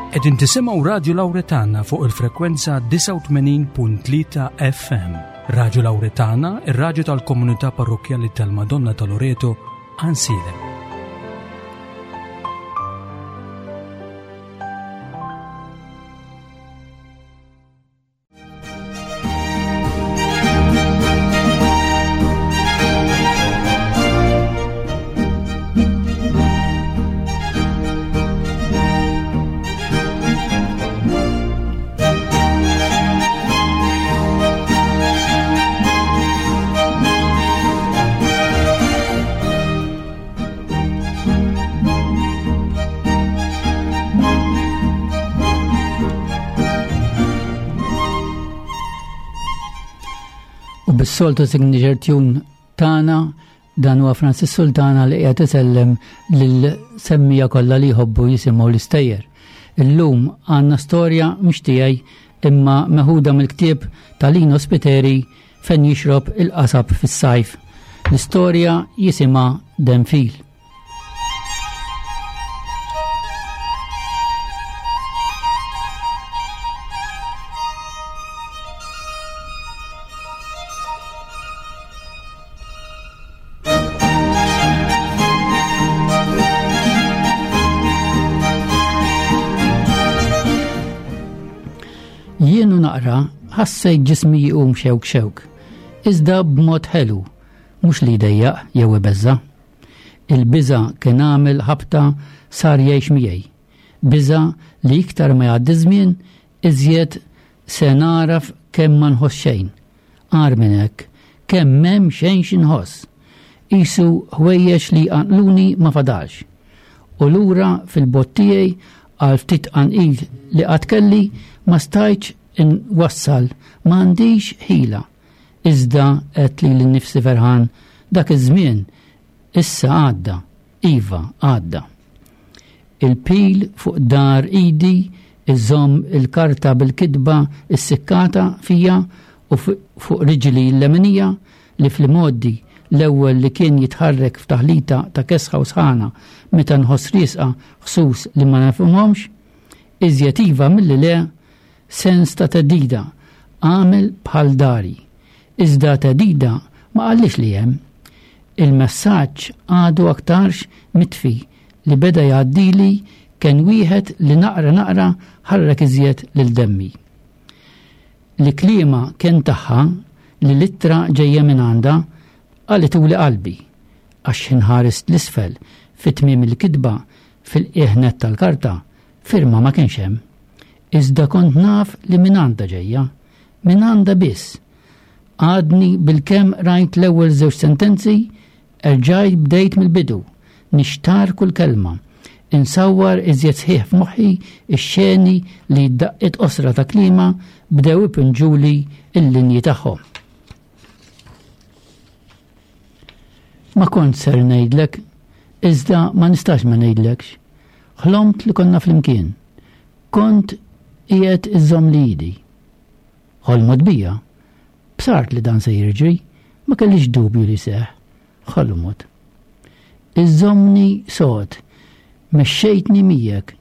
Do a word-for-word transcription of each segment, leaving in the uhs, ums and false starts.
Qegħdin tisimgħu Radio Lauretana fuq il-frekwenza disgħa u tmenin punt tlieta F M. Radio Lauretana, ir-radju tal-Komunità Parrokkjali tal-Madonna ta' Loreto, Għajnsielem. U bis-soltu signature tune tagħna, dan huwa Francis Sultana li qiegħed isellem lil semmija kollha li jħobbu jisimgħu l-istejjer. Illum għandna storja mhux tiegħi imma meħuda mill-ktieb ta' Lino Spiteri, Fejn Jixrob il-Qasab fis-Sajf. L-istorja jisimha Denfil. Jien u naqra ħassejt ġismi jqum xewk xewk, iżda b'mod ħelu, mhux li jdejjaq jew ibeżża. Il-biża kien għamel ħabta sar jgħix miegħi. Biża li iktar ma jgħaddi żmien, iżjed se naraf kemm ma nħoss xejn. Agħar minn hekk, kemm m'hemm xejn xi nħoss. Qisu ħwejjeġ li qanqluni ma fadalx. U lura fil-bott tiegħi għal ftit qanqil li qatt kelli ma stajtx inwassal, m'għandix ħila. Iżda għedt lili nnifsi ferħan, dak iż-żmien issa għadda, iva għadda. Il-pil fuq dahar idi iżomm il-karta bil-kitba issikkata fija u fuq riġli l-leminija li fl-modi l-ewwel li kien jitħarrek f'taħlita ta' kesħa u sħana meta nħoss riesqa ħsus li ma nafhomx, iżjed iva milli le, sens ta' theddida għamel bħal dari. Iżda theddida ma qallix li hemm. Il-messaġġ għadu aktarx mitfi li beda jgħaddili kien wieħed li naqra naqra ħarrek iżjed lil demmi. Li kliema kien tagħha, li l-ittra ġejja minn għandha, qalituli qalbi, għax inħares l-isfel fit-tmiem il-kitba fil-qiegħ nett tal-karta, firma ma kienx hemm. Iżda kont naf li minn għandha ġejja, minn għandha biss. Għadni bil-kemm rajt l-ewwel żewġ sentenzi, erġajt bdejt mill-bidu, nixtar kull kelma, insawwar iżjed sħiħ f'moħħi ix-xeni li d-daqqiet qosra ta' klima bdew ipinġuli il-linji tagħhom. Ma kont ser ngħidlek, iżda ma nistax ma ngħidlekx. Ħlomt li konna flimkien. Kont qiegħed iżżommli idi. Ħolmot bija. Bsart li dan se jiġri, ma kellix dubju li seħ. Ħolmot. Iżżommni sod, mexxejtni miegħek,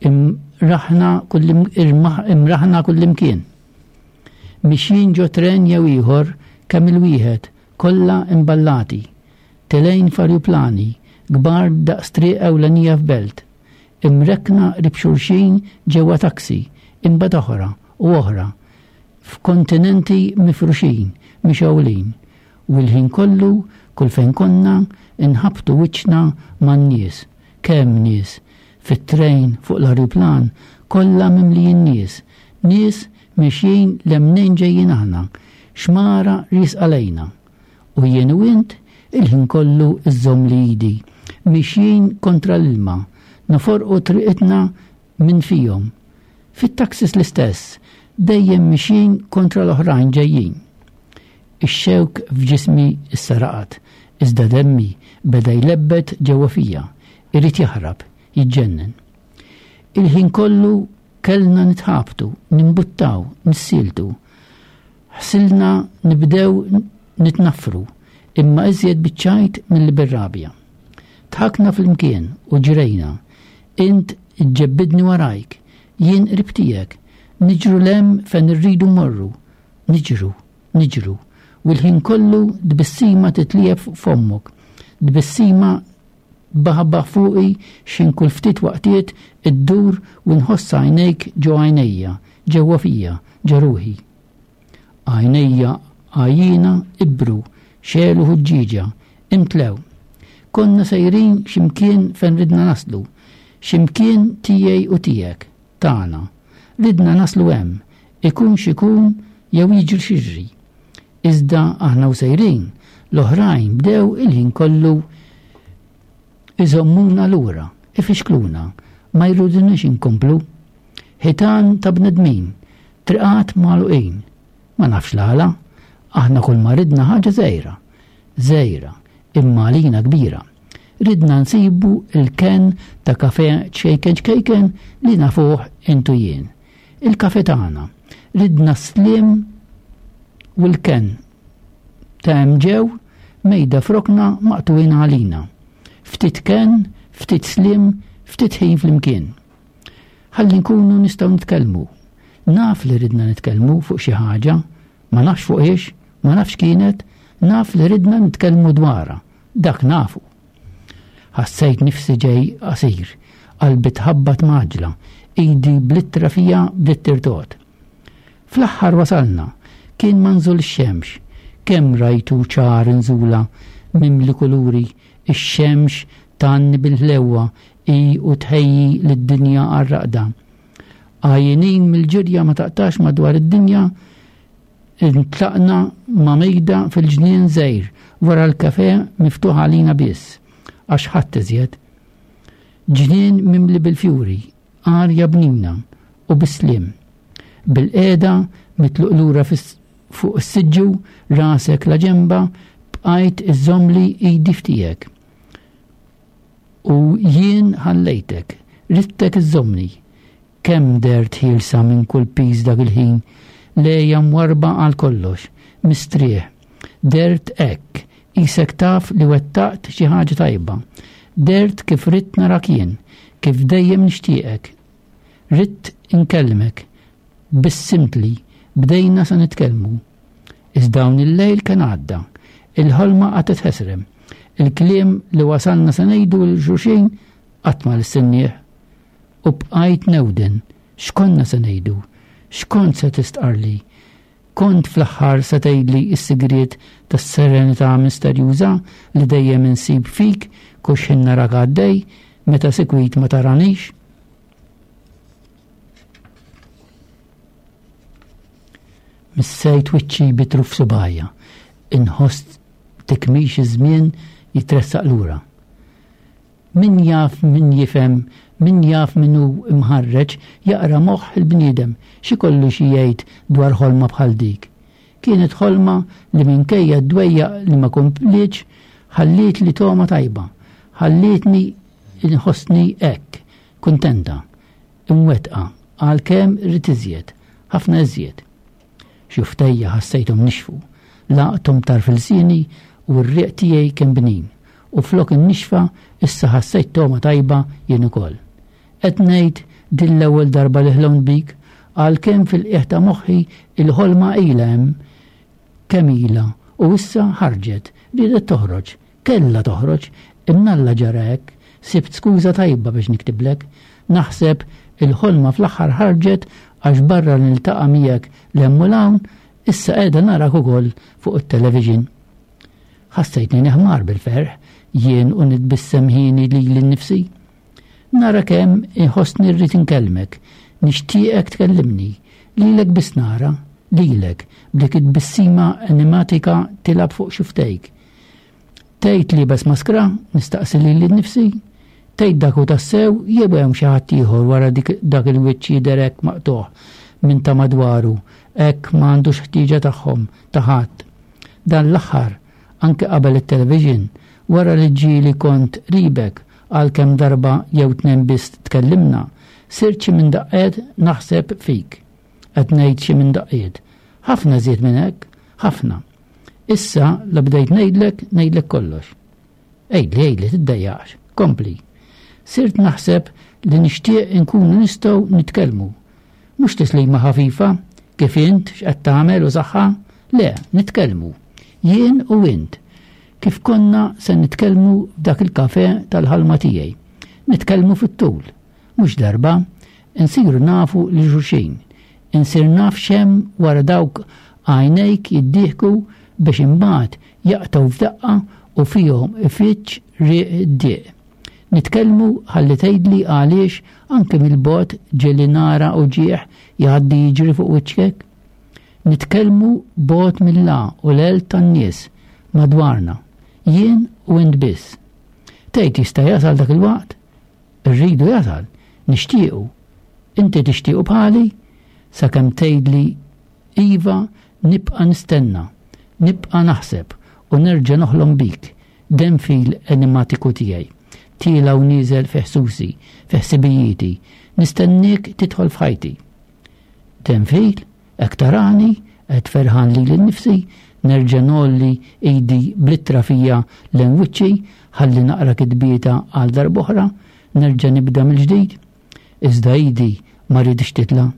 imraħna imraħna kullimkien. Mixjin ġo tren jew ieħor kemm il-wieħed, kollha imballati. Telgħin f'arjuplani, kbar daqs triq ewlenija f'belt. Imrekkna qrib xulxin ġewwa taksi, imbagħad oħra u oħra, f'kontinenti mifruxin, mixgħulin. U l-ħin kollu, kull fejn konna, inħabtu wiċċna man-nies. Kemm nies, fit-trejn, fuq l-arjuplan, kollha mimlijin nies. Nies mexjin 'l mnejn ġejjin aħna, xmara riesqa lejna. U jien u int il-ħin kollu iżżommli idi, mixjin kontra l-ilma, noforqu triqitna minn fihom. Fit-taxis l-istess, dejjem mixjin kontra l-oħrajn ġejjin. Ix-xewk f'ġismi issa raqad, iżda demmi beda jlebbet ġewwa fija, irid jaħrab, jiġġennen. Il-ħin kollu kellna nitħabtu, nimbuttaw, nissieltu. Ħsilna nibdew nitnafru, imma iżjed biċ-ċajt milli bir-rabja. Dħakna flimkien u ġrejna. Int iġġebbidni warajk, jien qrib tiegħek, niġru 'l hemm fejn irridu mmorru, niġru, niġru, u l-ħin kollu tbissima titlieb fuq fommok, tbissima baħbaħ fuqi xin kull ftit waqtiet iddur u nħoss għajnejk ġo għajnejja, ġewwa fija, ġo ruħi. Għajnejja għajjina ibru, xelu ħuġġieġa, imtlew. Konna sejrin ximkien fejn ridna naslu, ximkien tiegħi u tiegħek, tagħna. Ridna naslu hemm, ikun xikun jew jiġri x'jiġri. Iżda aħna u sejrin, l-oħrajn bdew il-ħin kollu iżommuna lura, ifixkluna, ma jridunix inkomplu. Ħitan ta' bnedmin, triqat magħluqin. Ma nafx l-għala, aħna kull ma ridna ħaġa żgħira, żgħira, imma għalina kbira. Ridna nsibu il-ken ta' kafe ċkejken ċkejken li nafuh intu jien. Il-kafe tagħna. Ridna slim u l-ken ta' hemm ġew mejda f'rokna maqtuwin għalina. Ftit ken, ftit slim, ftit ħin flimkien. Ħalli nkunu nistgħu nitkellmu. Naf li ridna nitkellmu fuq xi ħaġa, ma nafx fuq ix, ma nafx kienet, naf li ridna nitkellmu dwarha, dak nafu. Ħassejt nifsi ġej qasir, qalbi tħabbat maġla, idi bl-ittra fija bdiet tirtot. Fl-aħħar wasalna, kien manżul ix-xemx, kemm rajtu ċar nżula, mimli kuluri, ix-xemx tanni bil-ħlewwa i u tħejji lid-dinja għar-raqda. Għajjenin mill-ġirja ma taqtax madwar id-dinja, intlaqna ma' mejda fil-ġnien żgħir wara l-kafe miftuħ għalina biss, għax ħadd iżjed. Ġnien mimli bil-fjuri, arja bnina u bis-slim. Bil-qiegħda mitluq lura fuq is-siġġu, rasek la ġemba, bqajt iżżommli idi f'tiegħek. U jien ħallejtek, ridtek iżżommni. Kemm dert ħielsa minn kull piż dak il-ħin, lejja mwarba għal kollox, mistrieħ. Dert hekk, isek taf li wettaqt xi ħaġa tajba. Dert kif ridt narak jien, kif dejjem nixtieqek. Ridt inkellmek, bissimtli, bdejna sa nitkellmu. Iżda dawn il-lejl kien għadda, il-ħolma qagħdet ħesrem. Il-kliem li wasalna sa ngħidu lil xulxin qatt ma lissinnieh. U bqajt newden, x'konna se ngħidu, x'kont se tistqarli. Kont fl-aħħar se tgħidli s-sigriet tas-serenità misterjuża li dejjem insib fik kull x'ħin narak għaddej meta sikwit ma taranix. Missejt wiċċi bi truf subgħajja, inħoss tikmix iż-żmien jitressaq lura. Min jaf min jifhem, min jaf min hu imħarreġ jaqra moħħ il-bniedem xi kollu xi jgħid dwar ħolma bħal dik. Kienet ħolma li minkejja d-dwejjaq li ma komplietx ħalliet li togħma tajba, ħallietni inħossni hekk, kuntenta, imwettqa, għalkemm rrid iżjed, ħafna iżjed. Xuftejja ħassejthom nixfu, laqthom tarf ilsieni u r-riq tiegħi kien bnin, u flok in-nixfa issa ħassejt togħma tajba jien ukoll. Qed ngħid din l-ewwel darba li ħlomt bik, għalkemm fil-qiegħ ta' moħħi il-ħolma ilha hemm kemm ilha u issa ħarġet, riedet toħroġ, kellha toħroġ, imnalla ġara hekk, sibt skuża tajba biex niktiblek, naħseb il-ħolma fl-aħħar ħarġet għax barra niltaqa' miegħek 'l hemm u 'l hawn, issa qiegħda narak ukoll fuq it-television. Ħassejtni neħmar bil-ferħ, jien u nitbissem ħini lili nnifsi. Nara kemm inħossni rrid inkellmek, nixtieqek tkellimni, lilek biss nara, lilek, b'dik it-tbissima animatika tilgħab fuq xuftejk. Tgħid li bes maskra, nistaqsi lili nnifsi, tgħid dak hu tassew jew hemm xi ħadd ieħor wara dik dak il-wiċċ jidher hekk maqtugħ minn ta' madwaru, hekk ma għandux ħtieġa tagħhom ta' ħadd. Dan l-aħħar, anke qabel it-television, wara li ġieli kont qribek għalkemm darba jew tnejn biss tkellimna, sirt xi minn daqqiet naħseb fik. Qed ngħid xi minn daqqiet. Ħafna żied minn hekk, ħafna. Issa la bdejt ngħidlek, ngħidlek kollox. Għidli, għidli, tiddejjaqx, kompli. Sirt naħseb li nixtieq inkunu nistgħu nitkellmu. Mhux tislima ħafifa, kif int x'qed tagħmel u saħħa, le, nitkellmu. Jien u int. Kif konna se nitkellmu f'dak il-kafe tal-ħalma tiegħi. Nitkellmu fit-tul. Mhux darba, insiru nafu li xulxin. Insir naf x'hemm wara dawk għajnejk jiddieħku biex imbagħad jaqtgħu f'daqqa u fihom ifittx riq id-dieq. Nitkellmu ħalli tgħidli għaliex anke mill-bogħod ġieli nara u ġieħ jgħaddi jiġri fuq wiċċek. Nitkellmu bogħod mill-la u l-el tan-nies madwarna, jien u int biss. Tgħid jista' jasal dak il-waqt? Irridu jasal, nixtiequ. Inti tixtiequ bħali? Sakemm tgħidli iva nibqa' nistenna, nibqa' naħseb u nerġa' noħlom bik, denfil enigmatiku tiegħi. Tiela u nieżel fi ħsusi, fi ħsibijieti, nistennik tidħol f'ħajti. Denfil, hekk tarani, qed ferħan lili nnifsi, nerġa' ngħolli idi bl-ittra fija lejn wiċċi, ħalli naqra kitbieta għal darb'oħra, nerġa' nibda mill-ġdid. Iżda idi ma rridx titla',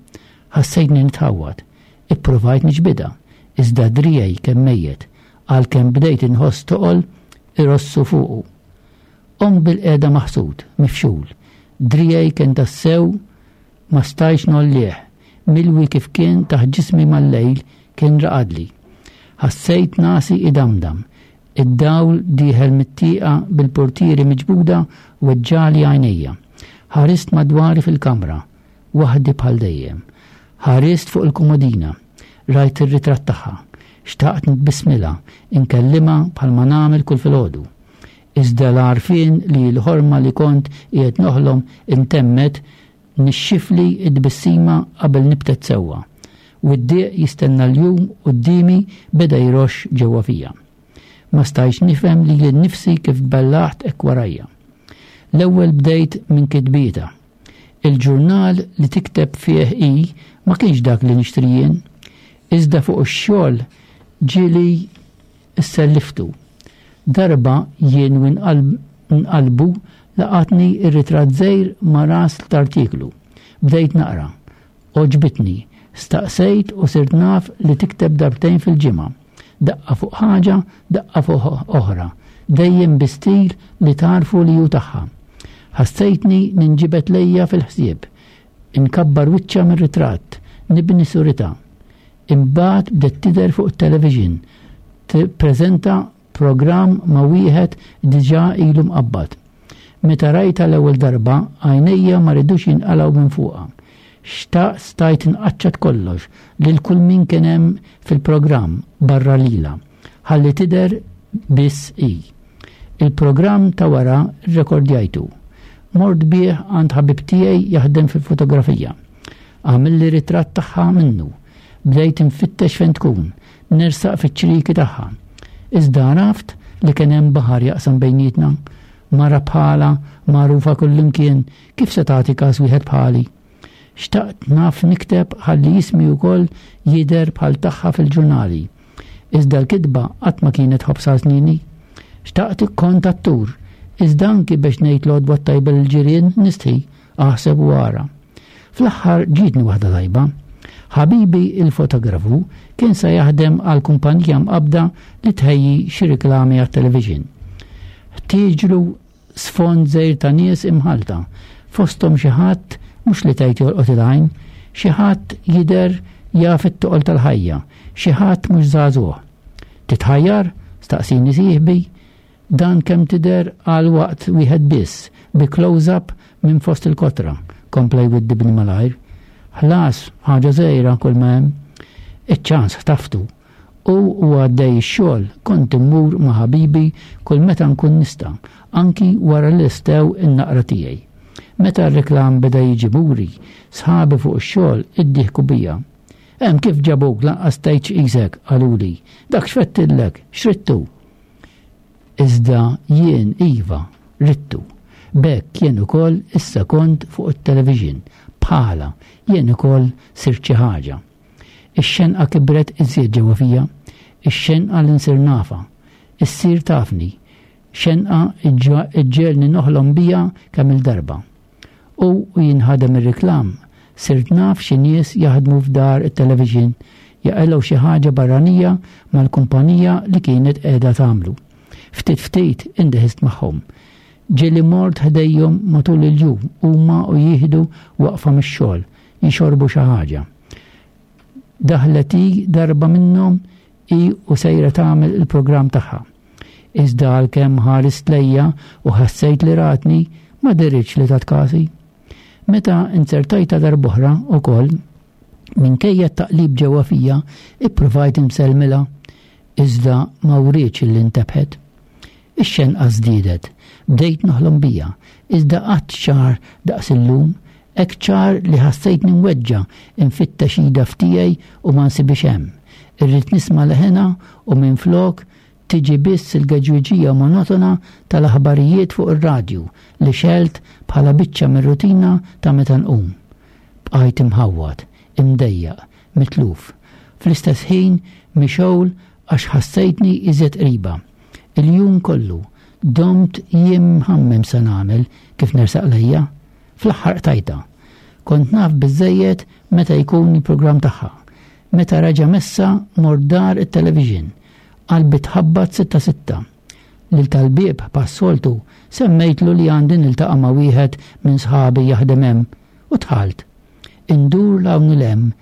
ħassejtni nitħawwad, ippruvajt niġbidha, iżda drijej kemm mejjet, għalkemm bdejt inħoss toqol irossu fuqu. Qomt bil-qiegħda maħsud, mifxul, drijej kien tassew ma stajtx nollih, milwi kif kien taħt ġismi mal-lejl kien raqadli. Ħassejt nasi idamdam, id-dawl dieħel mit-tieqa bil-portieri miġbuda weġġali għajnejja. Ħarist madwari fil-kamra, waħdi bħal dejjem. Ħarist fuq il-komodina, rajt ir-ritratt tagħha. Xtaqt nitbismilha, inkellimha bħalma nagħmel kull filgħodu. Iżda l-għarfien li l-ħorma li kont qiegħed noħlom intemmet nixxifli id-tbissima qabel nibtet sewwa. U d-dieq jistenna l-jum quddiemi beda jroxx ġewwa fija. Ma stajtx nifhem lili nnifsi kif tbellaħt hekk warajja. L-ewwel bdejt minn kitbieta. Il-ġurnal li tikteb fih hi ma kienx dak li nixtri jien, iżda fuq ix-xogħol ġieli isselliftu. Darba jien u nqalbu laqatni ir-ritratt żgħir ma' ras l-artiklu. Bdejt naqra. Għoġbitni. Staqsejt u sirt naf li tikteb darbtejn fil-ġimgħa. Daqqa fuq ħaġa, daqqa fuq oħra. Dejjem bi stil li tarfu li hu tagħha. Ħassejtni ninġibet lejja fil-ħsieb. Inkabbar wiċċa mir-ritratt, nibni surita. Imbagħad bdiet tidher fuq it-television. Tippreżenta programm ma' wieħed diġà ilu mqabbad. Meta rajta l-ewwel darba, għajnejja ma ridux jinqalgħu minn fuqha. Xtaq stajt nqaċċat kollox lil kull min kien hemm fil-programm barra lila, ħalli tidher biss hi. Il-programm ta' wara rrekordjajtu. Mort bih għand ħabib tiegħi jaħdem fil-fotografija. Għamilli ritratt tagħha minnu. Bdejt infittex fejn tkun, nersaq fiċ-ċriki tagħha. Iżda għaraft li kien hemm baħar jaqsam bejnietna, mara bħala magħrufa kullimkien, kif se tagħti każ wieħed bħali. Xtaqt naf nikteb ħalli jismi wkoll jidher bħal tagħha fil-ġurnali. Iżda l-kitba qatt ma kienet ħobsa snini. Xtaqt kont attur, iżda anki biex ngħid l-għodwa tajba lill-ġirien nistħi, aħseb u ara. Fl-aħħar ġietni waħda tajba. Ħabibi il-fotografu kien sa jaħdem għal kumpanija mqabda li tħejji xi riklami għat-television. Ħtieġlu sfond żgħir ta' nies imħalta, fosthom xi ħadd mhux li tgħid jolqot il-għajn, xi ħadd jidher jaf it-toqol tal-ħajja, xi ħadd mhux żagħżugħ. Titħajjar? Staqsini sieħbi. Dan kemm tidher għal waqt wieħed biss, bi close-up minn fost il-kotra, kompla jwiddibni malajr. Ħlas, ħaġa żgħira kull ma hemm. Iċ-ċans ħtaftu. U u għaddej ix-xogħol kont immur ma' ħabibi kull meta nkun nista', anki wara li stew in-naqra tiegħi. Meta r-reklam beda jiġi muri, sħabi fuq ix-xogħol iddieħku bija. Hemm kif ġabuk lanqas tgħidx qisek, qaluli. Dak x'fettillek, x'rittu? Iżda jien iva, rittu. B'hekk jien ukoll issa kont fuq it-television, bħala jien ukoll sirt xi ħaġa. Ix-xenqa kibret iżjed ġewwa fija, ix-xenqa li nsir nafa, issir tafni. Xenqa iġġegħelni noħlom bija kemm il-darba. U jinħadem ir-reklam, sirt naf xi nies jaħdmu f'dar it-television jaqilgħu xi ħaġa barranija mal-kumpanija li kienet qiegħda tagħmlu. Ftit ftit indeħist magħhom. Ġieli mort ħdejhom matul il-jum huma u jieħdu waqfa mix-xogħol, jixorbu xi ħaġa. Daħlet hi darba minnhom hi u sejra tagħmel il-programm tagħha. Iżda għalkemm ħarist lejja u ħassejt li ratni, ma deritx li tat kasi. Meta inzertajta darb'oħra ukoll, minkejja t-taqlib ġewwa fija, ippruvajt insellmilha, iżda ma wrietx li ntebħet. Ix-xenqa żdiedet, bdejt noħlom bija, iżda qatt ċar daqs illum, hekk ċar li ħassejtni mweġġa' infittex ida f'tiegħi u ma nsibix hemm. Irrid nisma' leħenha u minflok tiġi biss il-geġwiġija monotona tal-aħbarijiet fuq ir-radju li xelt bħala biċċa mir-rutina ta' meta nqum. Bqajt imħawwad, imdejjaq, mitluf. Fl-istess ħin mixgħul għax ħassejtni iżjed qriba. Il-jum kollu domt jiem mħammem sa nagħmel kif nersaq lejja. Fl-aħħar qtajta. Kont naf biżżejjed meta jkun il-programm tagħha. Meta raġa messa mort dar it-television. Qalbi tħabbat sitta sitta. Lil tal-bieb bħas-soltu semmejtlu li għandi niltaqa' ma' wieħed minn sħabi jaħdem hemm u dħalt. Indur 'l hawn 'l hemm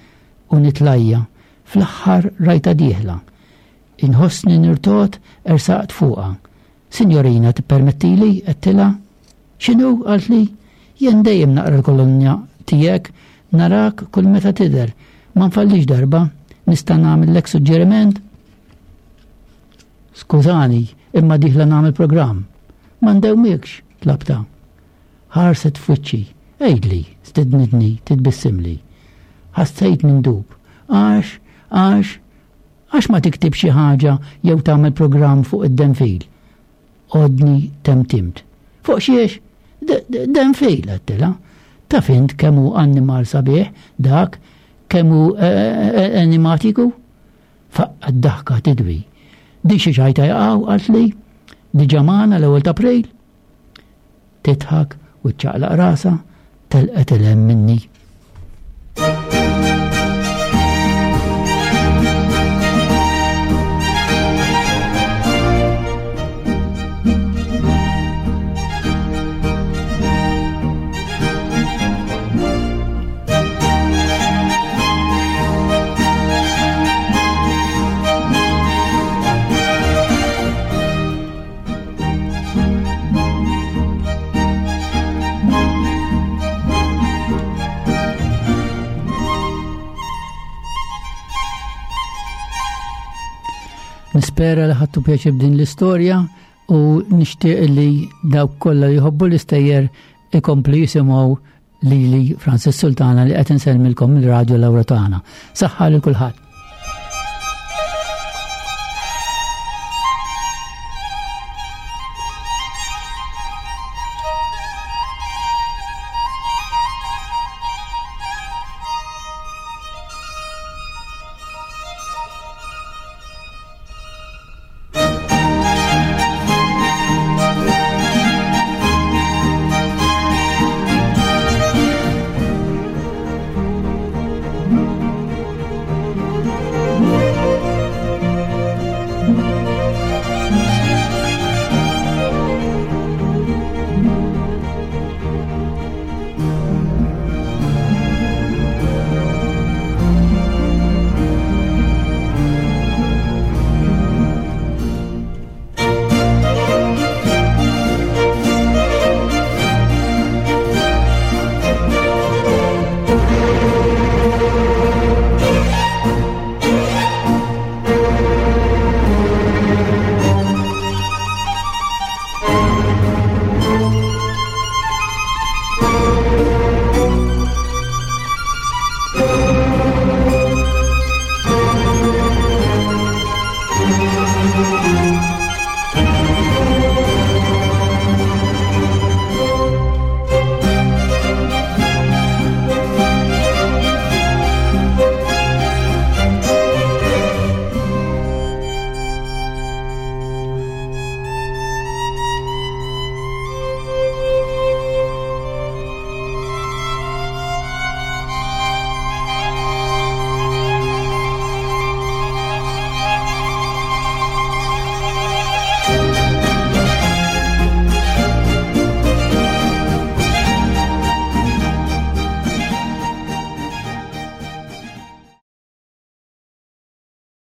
u nitlajja. Fl-aħħar rajta dieħla. Inħossni nirtot ersaqt fuqha. Signorina, tippermettili? Għedtilha. X'inhu? Qaltli. Jien dejjem naqra l-kolonnja tiegħek, narak kull meta tidher. Ma nfallix darba, nista' nagħmellek suġġeriment? Skużani, imma dieħla nagħmel programm. Ma ndewmikx, tlabta. Ħarset f'wiċċi. Għidli, stednitni, titbissimli. Ħassejt nindub. Għax, għax, għax ma tiktib xi ħaġa jew tagħmel programm fuq id-denfil. Għodni temtimt. Fuq xiex? Denfil, għedtilha. Taf int kemm hu annimal sabiħ dak, kemm hu animatiku? Faqqa d-daħka tidwi. Di xi ċajta jaqgħu, qaltli, diġà magħna l-ewwel ta' April. Tidħak u ċċaqlaq rasha, telqet il-hemm minni. Nispera li ħadtu pjaċir b'din l-istorja u nixtieq li dawk kollha li jħobbu l-istejjer ikomplu jisimgħu lili Francis Sultana li qed insellmilkom mill-Radju Lawretana. Saħħa lil kulħadd.